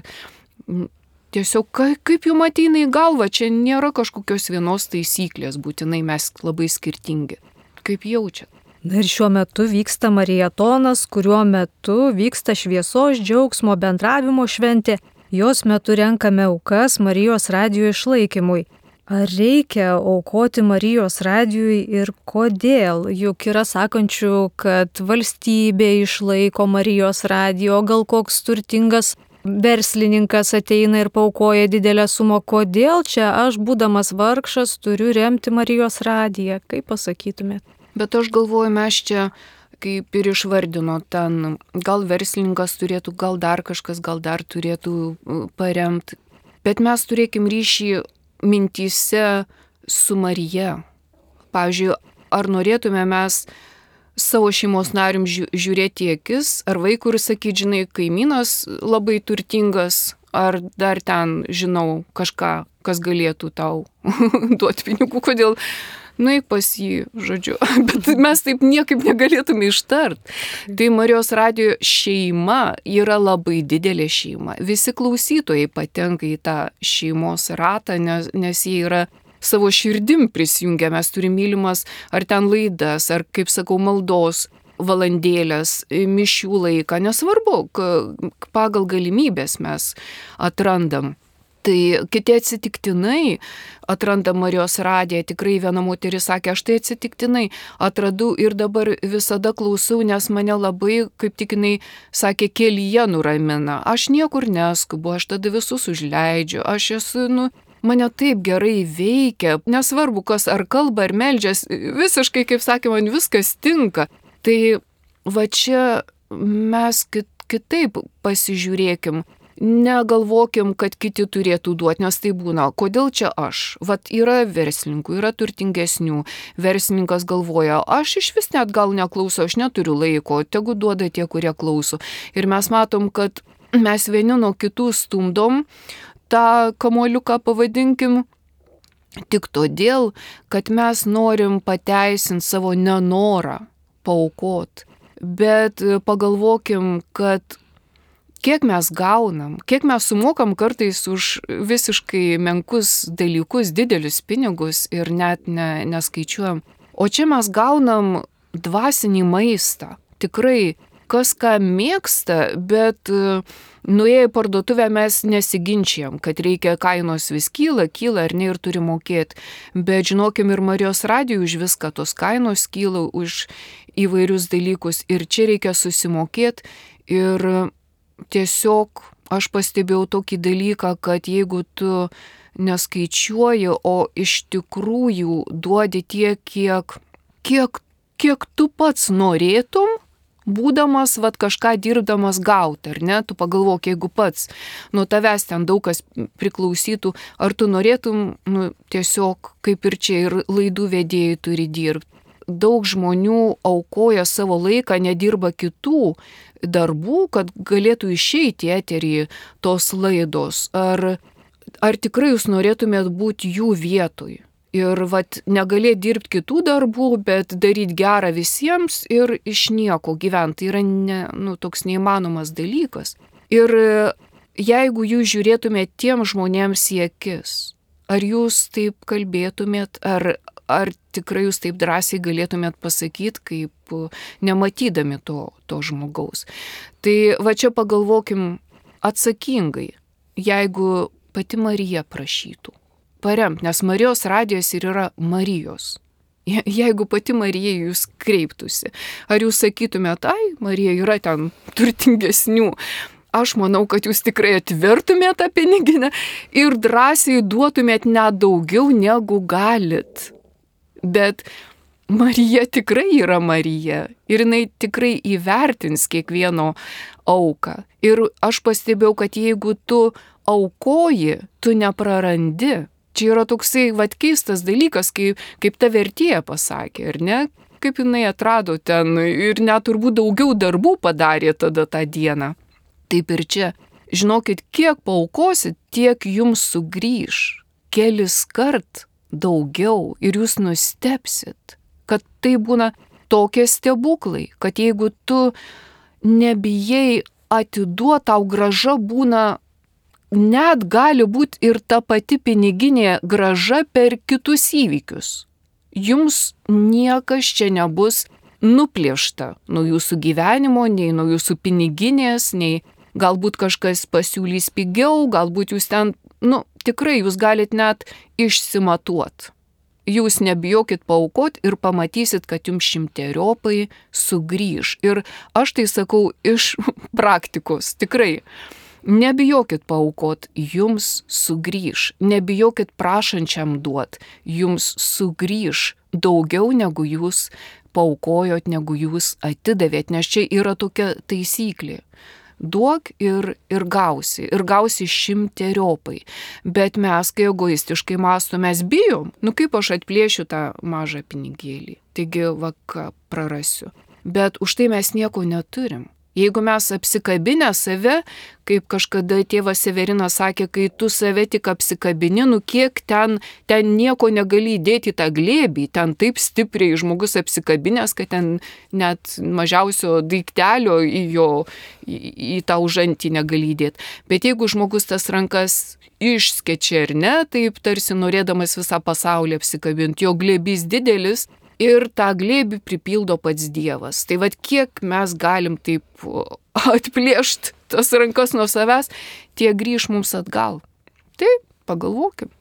tiesiog kaip jums ateina į galvą, čia nėra kažkokios vienos taisyklės, būtinai mes labai skirtingi. Kaip jaučiat? Na ir šiuo metu vyksta mariatonas, kuriuo metu vyksta šviesos, džiaugsmo, bendravimo šventė. Jos metu renkame aukas Marijos radijo išlaikymui. Ar reikia aukoti Marijos radijui ir kodėl? Juk yra sakančių, kad valstybė išlaiko Marijos radijo, gal koks turtingas verslininkas ateina ir paukoja didelę sumą. Kodėl čia aš, būdamas vargšas, turiu remti Marijos radiją? Kaip pasakytumėt? Bet aš galvoju, mes čia, kaip ir išvardino, ten gal verslininkas turėtų, gal dar kažkas, gal dar turėtų paremti. Bet mes turėkim ryšį mintyse su Marija. Pavyzdžiui, ar norėtume mes savo šeimos narium žiūrėti į akis, ar vaikui ir sakyti, žinai, kaimynas labai turtingas, ar dar ten, žinau, kažką, kas galėtų tau duoti pinigų, kodėl nueik pas jį, žodžiu. Bet mes taip niekaip negalėtume ištart. Tai Marijos radijo šeima yra labai didelė šeima. Visi klausytojai patenka į tą šeimos ratą, nes, nes jie yra savo širdim prisijungę. Mes turime mylimas ar ten laidas, ar, kaip sakau, maldos valandėlės, mišių laiką. Nesvarbu, pagal galimybės mes atrandam. Tai kiti atsitiktinai atranda Marijos radiją. Tikrai viena moteris sakė, aš tai atsitiktinai atradau ir dabar visada klausau, nes mane labai, kaip tik jinai sakė, kelyje nuramina. Aš niekur neskubu, aš tada visus užleidžiu, aš esu, nu, mane taip gerai veikia, nesvarbu kas ar kalba, ar meldžias, visiškai, kaip sakė, man viskas tinka. Tai va čia mes kit, kitaip pasižiūrėkim. Negalvokim, kad kiti turėtų duoti, nes tai būna, kodėl čia aš? Vat yra verslininkų, yra turtingesnių. Verslininkas galvoja, aš iš vis net gal neklauso, aš neturiu laiko, tegu duoda tie, kurie klauso. Ir mes matom, kad mes vieni nuo kitų stumdom tą kamuoliuką, pavadinkim, tik todėl, kad mes norim pateisinti savo nenorą paaukot. Bet pagalvokim, kad kiek mes gaunam, kiek mes sumokam kartais už visiškai menkus dalykus, didelius pinigus ir net ne, neskaičiuojam. O čia mes gaunam dvasinį maistą. Tikrai, kas ką mėgsta, bet nuėję į parduotuvę mes nesiginčiam, kad reikia kainos vis kyla, kyla ar ne ir turi mokėti. Bet žinokim, ir Marijos radijui už viską tos kainos kyla, už įvairius dalykus. Ir čia reikia susimokėti. Ir tiesiog aš pastebėjau tokį dalyką, kad jeigu tu neskaičiuoji, o iš tikrųjų duodi tiek, kiek, kiek, kiek tu pats norėtum, būdamas, vat, kažką dirbdamas gauti, ar ne? Tu pagalvok, jeigu pats nuo tavęs ten daug kas priklausytų, ar tu norėtum, nu, tiesiog kaip ir čia ir laidų vedėjai turi dirbti. Daug žmonių aukoja savo laiką, nedirba kitų darbų, kad galėtų išeiti į eterį tos laidos. Ar, ar tikrai jūs norėtumėt būti jų vietoj? Ir vat, negalėt dirbti kitų darbų, bet daryti gerą visiems ir iš nieko gyventi. Tai yra ne, nu, toks neįmanomas dalykas. Ir jeigu jūs žiūrėtumėt tiem žmonėms į akis, ar jūs taip kalbėtumėt, ar, ar tikrai jūs taip drąsiai galėtumėt pasakyti, kaip nematydami to, to žmogaus. Tai va čia pagalvokim atsakingai, jeigu pati Marija prašytų paremt, nes Marijos radijas ir yra Marijos. Je, jeigu pati Marija jūs kreiptųsi, ar jūs sakytumėt, ai, Marija yra ten turtingesnių. Aš manau, kad jūs tikrai atvertumėt tą piniginę ir drąsiai duotumėt net daugiau negu galit. Bet Marija tikrai yra Marija ir jinai tikrai įvertins kiekvieno auką. Ir aš pastebėjau, kad jeigu tu aukoji, tu neprarandi. Čia yra toksai vat keistas dalykas, kaip, kaip ta vertėja pasakė, ar ne? Kaip jinai atrado ten ir net turbūt daugiau darbų padarė tada tą dieną. Taip ir čia. Žinokit, kiek paaukosit, tiek jums sugrįž. Kelis kart daugiau ir jūs nustebsit, kad tai būna tokie stebuklai, kad jeigu tu nebijai atiduoti, tau grąža būna, net gali būti ir ta pati piniginė grąža per kitus įvykius. Jums niekas čia nebus nuplėšta nuo jūsų gyvenimo, nei nuo jūsų piniginės, nei galbūt kažkas pasiūlys pigiau, galbūt jūs ten, nu, tikrai jūs galit net išsimatuot. Jūs nebijokit paaukot ir pamatysit, kad jums šimteriopai sugrįž. Ir aš tai sakau iš praktikos, tikrai. Nebijokit paaukot, jums sugrįž. Nebijokit prašančiam duot, jums sugrįž daugiau negu jūs paaukojot, negu jūs atidavėt, nes čia yra tokia taisyklė. Duok ir, ir gausi, ir gausi šimteriopai. Bet mes, kai egoistiškai mąstom, mes bijom, nu kaip aš atplėšiu tą mažą pinigėlį, taigi va ką prarasiu. Bet už tai mes nieko neturim. Jeigu mes apsikabinę save, kaip kažkada tėvas Severinas sakė, kai tu save tik apsikabini, nu kiek ten, ten nieko negali įdėti į tą glėbį, ten taip stipriai žmogus apsikabinęs, kad ten net mažiausio daiktelio į jo, į, į tą užantį negali įdėti. Bet jeigu žmogus tas rankas išskečia ar ne, taip tarsi norėdamas visą pasaulį apsikabinti, jo glėbys didelis, ir tą glėbį pripildo pats Dievas. Tai vad kiek mes galim taip atplėšti tas rankas nuo savęs, tie grįž mums atgal. Taip, pagalvokim.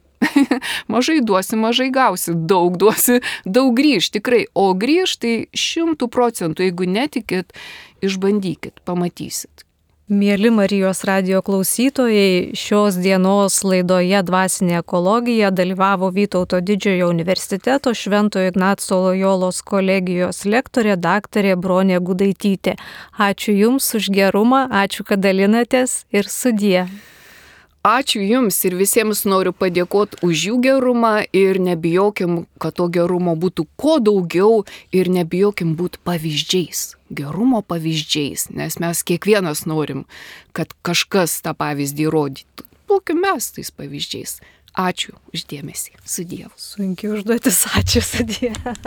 Mažai duosi, mažai gausi, daug duosi, daug grįž, tikrai. O grįž tai šimtų procentų, jeigu netikit, išbandykit, pamatysit. Mėly Marijos radijo klausytojai, šios dienos laidoje Dvasinė ekologija dalyvavo Vytauto Didžiojo universiteto Šventojo Ignaco Lojolos kolegijos lektorė daktarė Bronė Gudaitytė. Ačiū Jums už gerumą, ačiū, kad dalinatės ir sudie. Ačiū Jums ir visiems noriu padėkoti už jų gerumą ir nebijokim, kad to gerumo būtų kuo daugiau ir nebijokim būti pavyzdžiais, gerumo pavyzdžiais, nes mes kiekvienas norim, kad kažkas tą pavyzdį rodytų. Būkim mes tais pavyzdžiais. Ačiū už dėmesį. Su Dievu. Sunkiai užduotis, ačiū, su Dievu.